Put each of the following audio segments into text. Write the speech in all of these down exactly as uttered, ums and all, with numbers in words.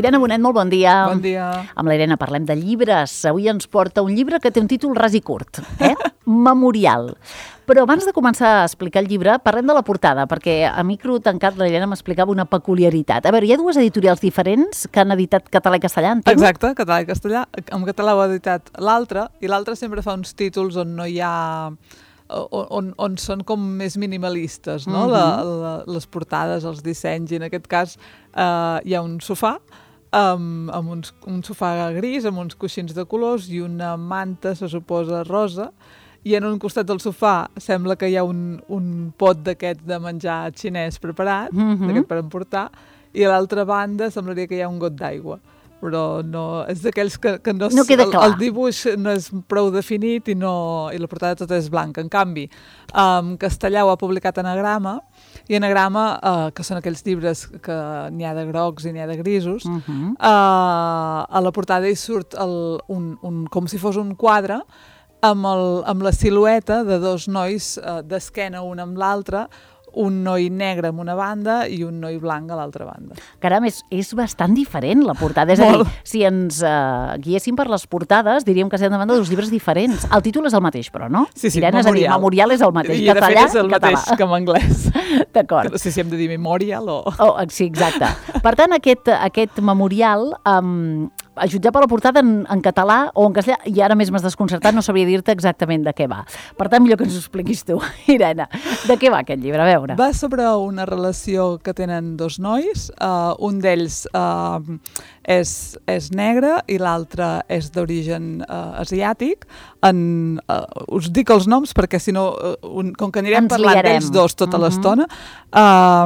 Irene Bonet, molt bon dia. Bon dia. Amb la Irene parlem de llibres. Avui ens porta un llibre que té un títol ras i curt, eh? Memorial. Però abans de començar a explicar el llibre, parlem de la portada, perquè a micro tancat la Irene m'explicava una peculiaritat. A veure, hi ha dues editorials diferents que han editat català i castellà, entenc? Exacte, català i castellà. En català ho ha editat l'altre, i l'altre sempre fa uns títols on no hi ha... On, on, on són com més minimalistes, no? Mm-hmm. la, la, les portades, els dissenys, i en aquest cas eh, hi ha un sofà, amb, amb uns, un sofà gris, amb uns coixins de colors i una manta, se suposa, rosa, i en un costat del sofà sembla que hi ha un, un pot d'aquest de menjar xinès preparat, mm-hmm. d'aquest per emportar, i a l'altra banda semblaria que hi ha un got d'aigua. Però no, és d'aquells que, que no, no queda clar. El, el dibuix no és prou definit i, no, i la portada tota és blanca. En canvi, um, Castellà ho ha publicat Anagrama, i Anagrama, uh, que són aquells llibres que n'hi ha de grocs i n'hi ha de grisos, uh-huh. uh, a la portada hi surt el, un, un, com si fos un quadre amb, el, amb la silueta de dos nois uh, d'esquena un amb l'altre, un noi negre amb una banda i un noi blanc a l'altra banda. Caram, és, és bastant diferent la portada. És a dir, si ens uh, guiéssim per les portades, diríem que estem davant de dos llibres diferents. El títol és el mateix, però, no? Sí, sí, Irene, Memorial. És a dir, Memorial és el mateix. I català, de fet és el català. mateix que en anglès. D'acord. No sé si hem de dir Memorial o... Oh, sí, exacte. Per tant, aquest, aquest Memorial... Um, a jutjar per la portada en, en català o en castellà, i ara més m'has desconcertat, no sabria dir-te exactament de què va. Per tant, millor que ens ho expliquis tu, Irene. De què va aquest llibre? A veure. Va sobre una relació que tenen dos nois, uh, un d'ells uh, és, és negre i l'altre és d'origen uh, asiàtic. En, uh, us dic els noms perquè si no, uh, un, com que anirem ens parlant liarem. d'ells dos tota uh-huh. l'estona, uh,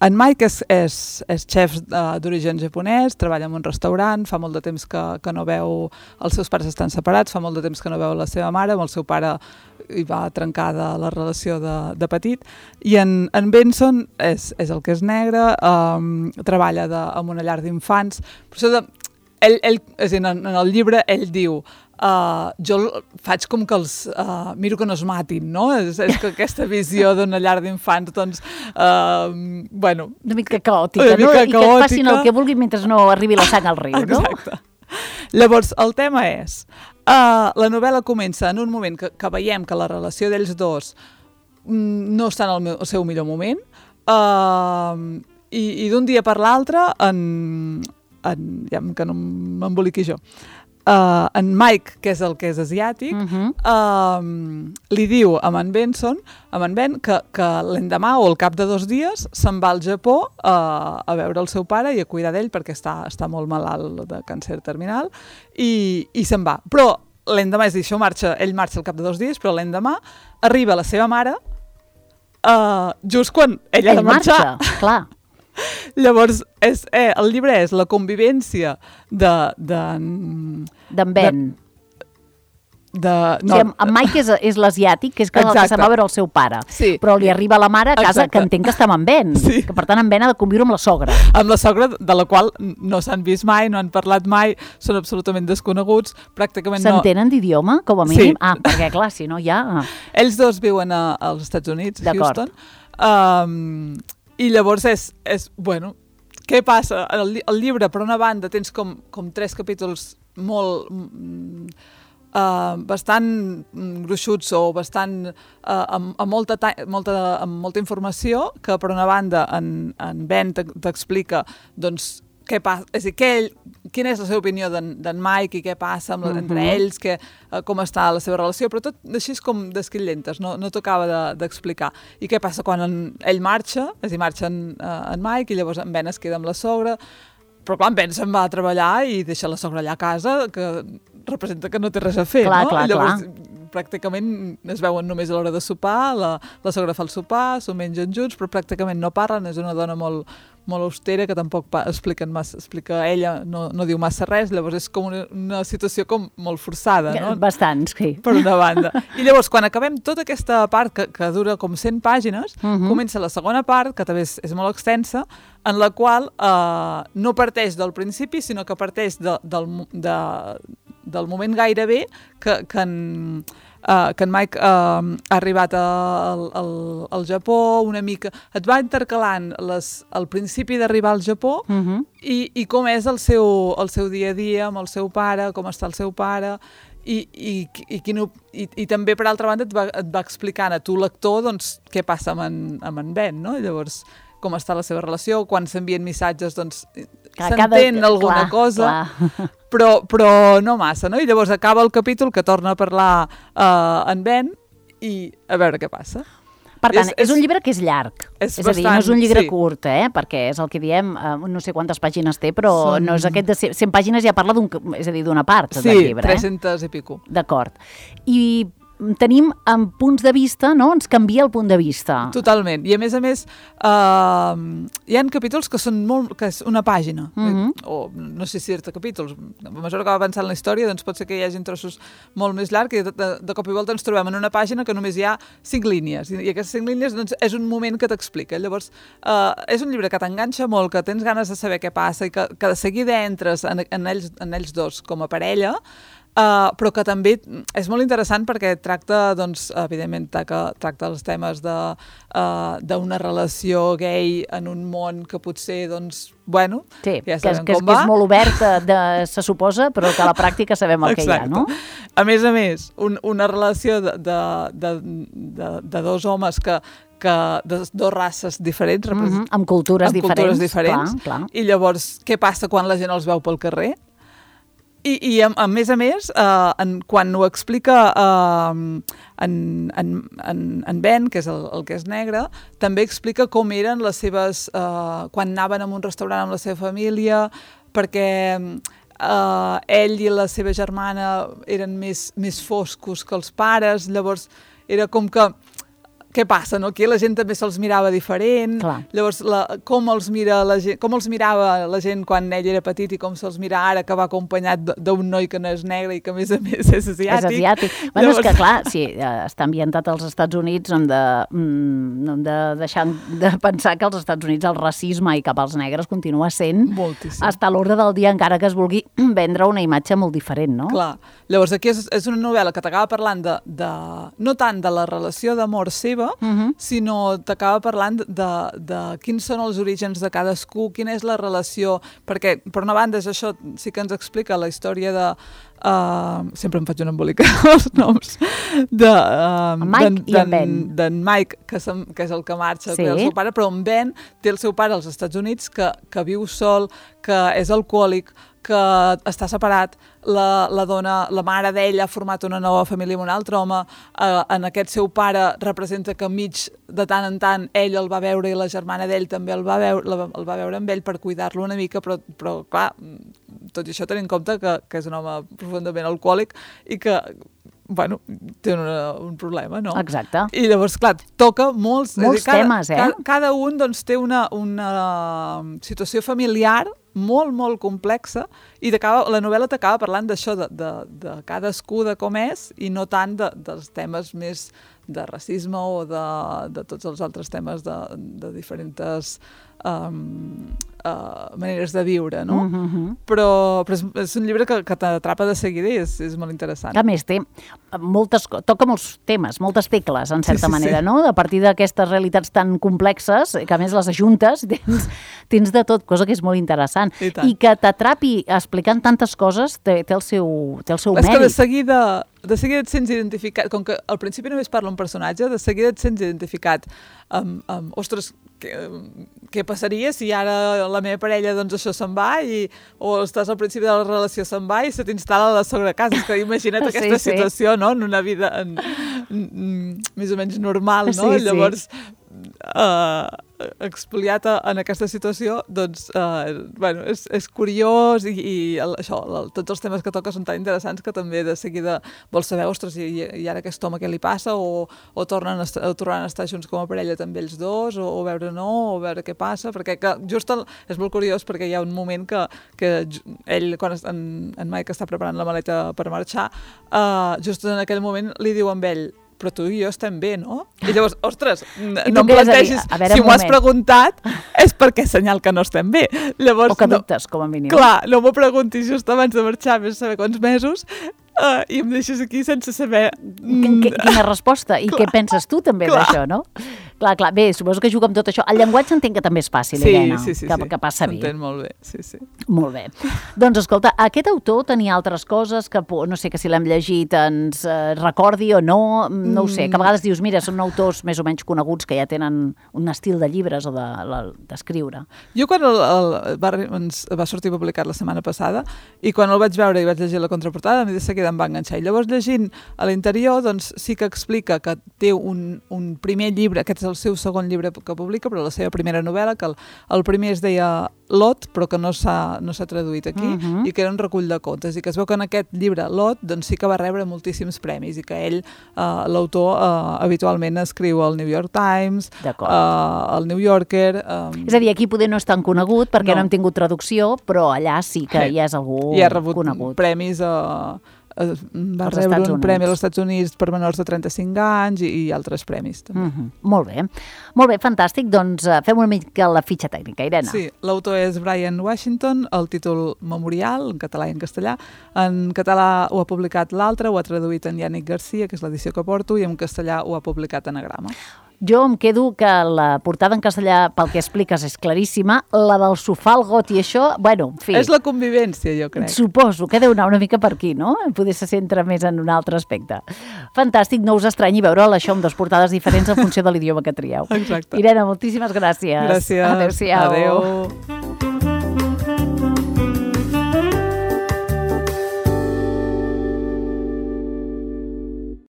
en Mike és, és, és xef uh, d'origen japonès, treballa en un restaurant, fa molt de temps que, que no veu, els seus pares estan separats, fa molt de temps que no veu la seva mare, amb el seu pare hi va trencada la relació de, de petit, i en, en Benson és, és el que és negre, um, treballa de, en una llar d'infants, per això de, ell, ell, és a dir, en, en el llibre ell diu Uh, jo faig com que els uh, miro que no es matin, no? És, és que aquesta visió d'una llar d'infants, doncs, uh, bueno... Una mica caòtica, una mica no? caòtica. I que et facin el que vulguin mentre no arribi la sang al riu, no? Exacte. Llavors, el tema és, uh, la novel·la comença en un moment que, que veiem que la relació d'ells dos mm, no està en el, meu, el seu millor moment, uh, i, i d'un dia per l'altre, en, en, ja que no m'emboliqui jo, Uh, en Mike, que és el que és asiàtic, uh-huh. uh, li diu a en Benson, a en Ben, que, que l'endemà o al cap de dos dies se'n va al Japó uh, a veure el seu pare i a cuidar d'ell perquè està, està molt malalt de càncer terminal i, i se'n va. Però l'endemà, és a dir, això marxa, ell marxa al cap de dos dies, però l'endemà arriba la seva mare uh, just quan ell, ell ha de marxar. Marxa, clar. Llavors, és, eh, el llibre és la convivència de... D'en Ben. De, de, no, sí, en Mike és, és l'asiàtic, que és que, el que se'n va veure el seu pare. Sí. Però li arriba la mare a casa, exacte. Que entenc que està amb en Ben. Sí. Que per tant en Ben ha de conviure amb la sogra. Amb la sogra, de la qual no s'han vist mai, no han parlat mai, són absolutament desconeguts, pràcticament no... S'entenen d'idioma, com a mínim? Sí. Ah, perquè clar, si no ja... Ells dos viuen a, als Estats Units, Houston. Um, I llavors és, és, bueno, què passa? El, el llibre, per una banda, tens com, com tres capítols molt... Mm, uh, bastant gruixuts o bastant uh, amb, amb, molta ta molta, amb molta informació, que per una banda en, en Ben t'explica, doncs, què passa, és a dir, què, quina és la seva opinió d'en Mike i què passa amb la, entre uh-huh. ells, que, uh, com està la seva relació, però tot així com d'esquillentes, no, no t'acaba d'explicar. De, I què passa quan en, ell marxa, és a dir, marxa en, uh, en Mike i llavors en Ben es queda amb la sogra, però clar, en Ben se'n va a treballar i deixa la sogra allà a casa, que representa que no té res a fer, clar, no? Clar, llavors, clar. Pràcticament es veuen només a l'hora de sopar, la, la sogra fa el sopar, s'ho mengen junts, però pràcticament no parlen, és una dona molt, molt austera, que tampoc expliquen massa, explica ella, no, no diu massa res, llavors és com una, una situació com molt forçada, no? Bastant, sí. Per una banda. I llavors, quan acabem tota aquesta part, que, que dura com cent pàgines, uh-huh. comença la segona part, que també és, és molt extensa, en la qual eh, no parteix del principi, sinó que parteix de, del, de, del moment gairebé que, que en... Uh, que en Mike uh, ha arribat al, al, al Japó una mica, et va intercalant les, el principi d'arribar al Japó uh-huh. i, i com és el seu, el seu dia a dia amb el seu pare, com està el seu pare i, i, i, quin, i, i també per altra banda et va, et va explicant a tu lector doncs, què passa amb en, amb en Ben, no? Llavors com està la seva relació, quan s'envien missatges doncs s'entén alguna clar, cosa clar. Però, però no massa, no? I llavors acaba el capítol que torna a parlar uh, en Ben i a veure què passa. Per tant, és, és un llibre que és llarg, és, és bastant, a dir, no és un llibre sí. curt, eh? Perquè és el que diem, uh, no sé quantes pàgines té, però Són... no és aquest de cent pàgines, ja parla d'un, és a dir, d'una part sí, del llibre. Sí, tres-centes eh? i pico. D'acord. I tenim en punts de vista, no? Ens canvia el punt de vista. Totalment. I a més a més, uh, hi ha capítols que són molt, que és una pàgina, uh-huh. o no sé si certa capítols. A mesura que va avançant la història, doncs pot ser que hi hagi trossos molt més llargs i de, de, de cop i volta ens trobem en una pàgina que només hi ha cinc línies. I, i aquestes cinc línies doncs, és un moment que t'explica. Llavors, uh, és un llibre que t'enganxa molt, que tens ganes de saber què passa i que, que de seguida entres en, en, ells, en ells dos com a parella. Uh, però que també és molt interessant perquè tracta, doncs, evidentment, tracta, tracta els temes de, uh, d'una relació gay en un món que potser, doncs, bueno, sí, ja sabem que, com que va. És molt obert, de, se suposa, però que a la pràctica sabem el Exacte. Que hi ha, no? A més a més, un, una relació de, de, de, de, de dos homes que que de dues races diferents, mm-hmm, amb cultures amb diferents, cultures diferents clar, clar. I llavors, què passa quan la gent els veu pel carrer? I, i a, a més a més, uh, en, quan ho explica uh, en, en, en, en Ben, que és el, el que és negre, també explica com eren les seves... Uh, quan anaven a un restaurant amb la seva família, perquè uh, ell i la seva germana eren més, més foscos que els pares, llavors era com que... Què passa, no? Aquí la gent també se'ls mirava diferent. Clar. Llavors, la, com, els mira la gent, com els mirava la gent quan ell era petit i com se'ls mira ara que va acompanyat d'un noi que no és negre i que a més a més és asiàtic. És asiàtic. Bueno, Llavors... és que clar, si està ambientat als Estats Units, no hem de, no hem de deixar de pensar que als Estats Units el racisme i cap als negres continua sent moltíssim. Hasta l'ordre del dia, encara que es vulgui vendre una imatge molt diferent, no? Clar. Llavors, aquí és, és una novel·la que t'acaba parlant de, de, no tant de la relació d'amor seva, Uh-huh. sinó t'acaba parlant de, de, de quins són els orígens de cadascú, quina és la relació, perquè per una banda és això, sí que ens explica la història de uh, sempre em faig un embolic els noms de uh, Mike i en Ben d'en Mike, que, que és el que marxa sí. el seu pare, però en Ben té el seu pare als Estats Units que, que viu sol, que és alcohòlic, que està separat, la, la dona, la mare d'ell ha format una nova família amb un altre home, eh, en aquest seu pare representa que mig de tant en tant ell el va veure i la germana d'ell també el va veure, la, el va veure amb ell per cuidar-lo una mica, però, però clar, tot i això tenint en compte que, que és un home profundament alcohòlic i que bueno, té una, un problema, no? Exacte. I llavors, clar, toca molts... Molts dir, cada, temes, eh? Cada, cada un, doncs, té una, una situació familiar molt, molt complexa i la novel·la t'acaba parlant d'això, de, de, de cadascú de com és i no tant de, dels temes més de racisme o de, de tots els altres temes de, de diferents um, uh, maneres de viure, no? Uh-huh. Però, però és, és un llibre que, que t'atrapa de seguida i és, és molt interessant. A més, té moltes, toca molts temes, moltes tecles, en certa sí, sí, manera, sí. no? A partir d'aquestes realitats tan complexes, que a més les ajuntes, tens, tens de tot, cosa que és molt interessant. I, I que t'atrapi explicant tantes coses té, té el seu, té el seu és mèrit. Que de seguida, de seguida et sents identificat, com que al principi només parla un personatge, de seguida et sents identificat amb, amb ostres, què, què passaria si ara la meva parella, doncs això se'n va, i, o estàs al principi de la relació se'n va i se t'instal·la la sogra a casa. És que imagina't aquesta sí, situació, sí. No?, en una vida en, en, en, més o menys normal, no? Sí, Llavors, sí. Uh, expoliat en aquesta situació, doncs, uh, bueno, és, és curiós i, i el, això, el, tots els temes que toca són tan interessants que també de seguida vols saber, ostres, i, i ara aquest home què li passa, o, o, tornen a estar, o tornaran a estar junts com a parella també ells dos, o, o veure no, o veure què passa, perquè que, just el, és molt curiós perquè hi ha un moment que, que ell, quan es, en, en Mike està preparant la maleta per marxar, uh, just en aquell moment li diu amb ell, però tu i jo estem bé, no? I llavors, ostres, I no em plantegis, si m'ho has preguntat, és perquè és senyal que no estem bé. Llavors, o que no, dubtes, com a mínim. Clar, no m'ho preguntis just abans de marxar, més saber quants mesos, uh, i em deixes aquí sense saber... Mm, Quina resposta? I clar, què penses tu també d'això, no? Clar, clar, bé, suposo que juga amb tot això. El llenguatge entenc que també és fàcil, sí, Irene, sí, sí, que, sí. que passa bé. S'entén molt bé, sí, sí. Molt bé. Doncs escolta, aquest autor tenia altres coses que, no sé, que si l'hem llegit ens eh, recordi o no, no ho sé, que a vegades dius, mira, són autors més o menys coneguts que ja tenen un estil de llibres o d'escriure. De, jo quan el, el va, ens va sortir publicat la setmana passada i quan el vaig veure i vaig llegir la contraportada, a mi de seguida em va enganxar. I llavors llegint a l'interior, doncs sí que explica que té un, un primer llibre, aquest és el seu segon llibre que publica, però la seva primera novel·la, que el, el primer es deia Lot, però que no s'ha no s'ha traduït aquí, uh -huh. i que era un recull de contes, i que es veu que en aquest llibre, Lot, doncs sí que va rebre moltíssims premis, i que ell, eh, l'autor, eh, habitualment escriu al New York Times, eh, al New Yorker... Eh, és a dir, aquí poder no és tan conegut, perquè no, no hem tingut traducció, però allà sí que sí. ja és algú conegut. I ha rebut conegut. premis a... Uh, va als rebre Estats un Units. premi als Estats Units per menors de trenta-cinc anys i, i altres premis també. Uh -huh. Molt bé, molt bé, fantàstic. Doncs uh, fem una mica la fitxa tècnica, Irene. Sí, l'autor és Brian Washington, el títol Memorial, en català i en castellà. En català ho ha publicat l'altre, ho ha traduït en Yannick Garcia, que és l'edició que porto, i en castellà ho ha publicat Anagrama. Jo em quedo que la portada en castellà, pel que expliques, és claríssima. La del sofà, el got i això, bueno, en fi... És la convivència, jo crec. Suposo que deu anar una mica per aquí, no? Poder se centra més en un altre aspecte. Fantàstic, no us estranyi veure'l això amb dues portades diferents en funció de l'idioma que trieu. Exacte. Irene, moltíssimes gràcies. Gràcies. Adéu-siau. Adéu.